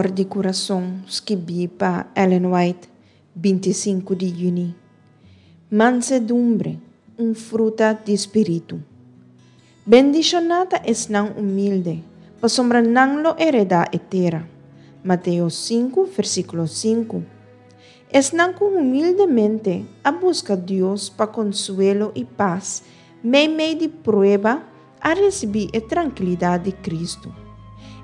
For di Kurason, skibí pa Ellen White, 25 di yüni. Mansedumbre, un fruta di spiritu. Bendishoná ta esnan humilde, pasobra nan lo heredá e tera. Mateo 5, versíkulo 5. Esnan ku humildemente a buska Dios pa konsuelo i pas meimei di prueba a risibí e trankilidat di Kristu.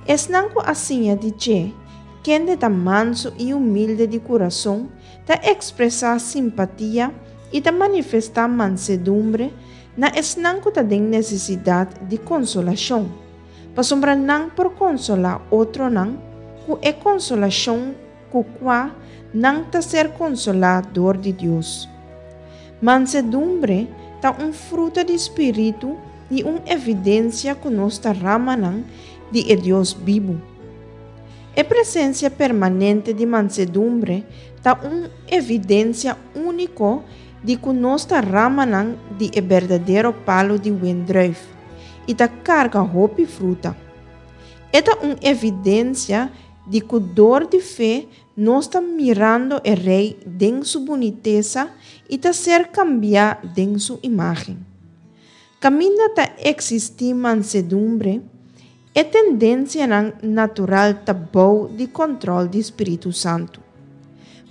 Esnan ku a siña di dje, kende ta mansu i humilde di kurason, ta ekspresá simpatia i ta manifestá mansedumbre na esnan ku ta den nesesidat di konsolashon, pasobra nan por konsolá otronan ku e konsolashon ku kua nan ta ser konsolá dor di Dios. Mansedumbre ta un fruta di spiritu i un evidensia ku nos ta ramanan di e Dios bibu. E presensia permanente di mansedumbre ta un evidensia úniko di ku nos ta ramanan di e berdadero palu di wendrùif i ta karga hopi fruta. E ta un evidensia di ku dor di fe nos ta mirando e Rei den su bunitesa i ta ser kambiá den su imágen. Kaminda ta eksistí mansedumbre, e tendensianan natural ta bou di kòntròl di spiritu santu.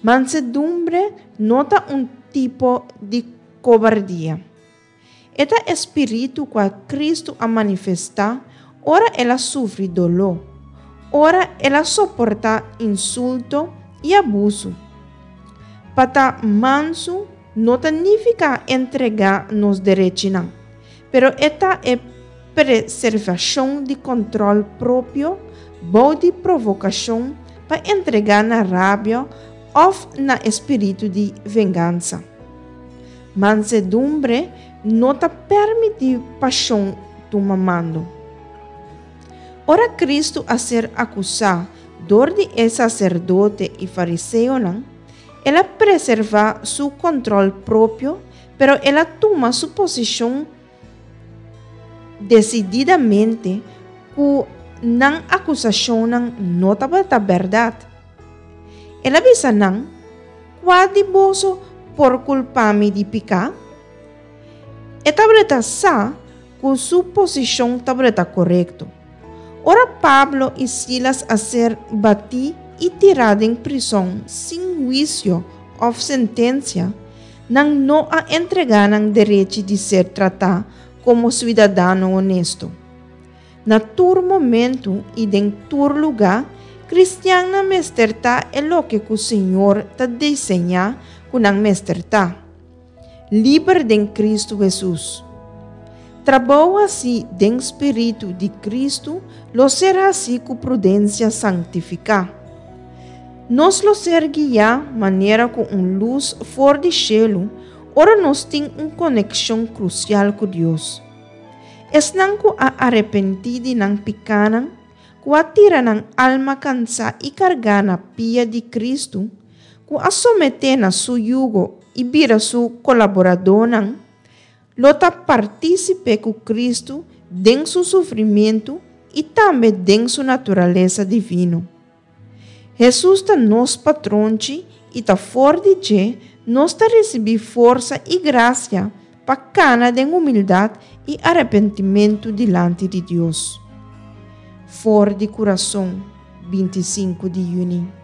Mansedumbre no ta un tipo di kobardia. E ta e spiritu kua Kristu a manifestá ora el a sufri doló, ora el a soportá insulto i abusu. Pa ta mansu no ta nifiká entregá nos derechinan, pero e ta e preservashon di kòntròl propio bou di provokashon pa entregá na rabia òf na e spiritu di vengansa. Mansedumbre no ta permití pashon tuma mando. Ora Kristu a ser akusá dor di e saserdote i fariseonan, el a preservá su kòntròl propio, pero el a tuma su posishon desididamente ku nan akusashonnan no tabata bèrdat. El a bisa nan, Kua di boso por kulpa mi di piká? E tabata sa ku su posishon tabata korekto. Ora Pablo i Silas a ser batí i tirá den prison sin huisio òf sentensia, nan no a entregá nan derechi di ser tratá komo suidadano honesto. Na tur momentu i den tur lugá, kristiannan mester ta e loke ku Señor ta diseñá ku nan mester ta, liber den Kristu Hesus. Trabou hasí den spiritu di Kristu lo ser hasí ku prudensia sanktifiká. Nos lo ser guiá manera ku un lus for di shelu ora nos tin un konekshon krusial ku Dios. Esnan ku a arepentí di nan pikánan, ku a tira nan alma kansá i kargá na pia di Kristu, ku a someté na su yugo i bira su kolaboradónan, lo ta partísipe ku Kristu den su sufrimentu i tambe den su naturalesa divino. Hesus ta nos patronchi i ta for di dje nos ta risibí forsa i grasia pa kana den humildat i arepentimentu dilanti di Dios. For di kurason, 25 di yüni.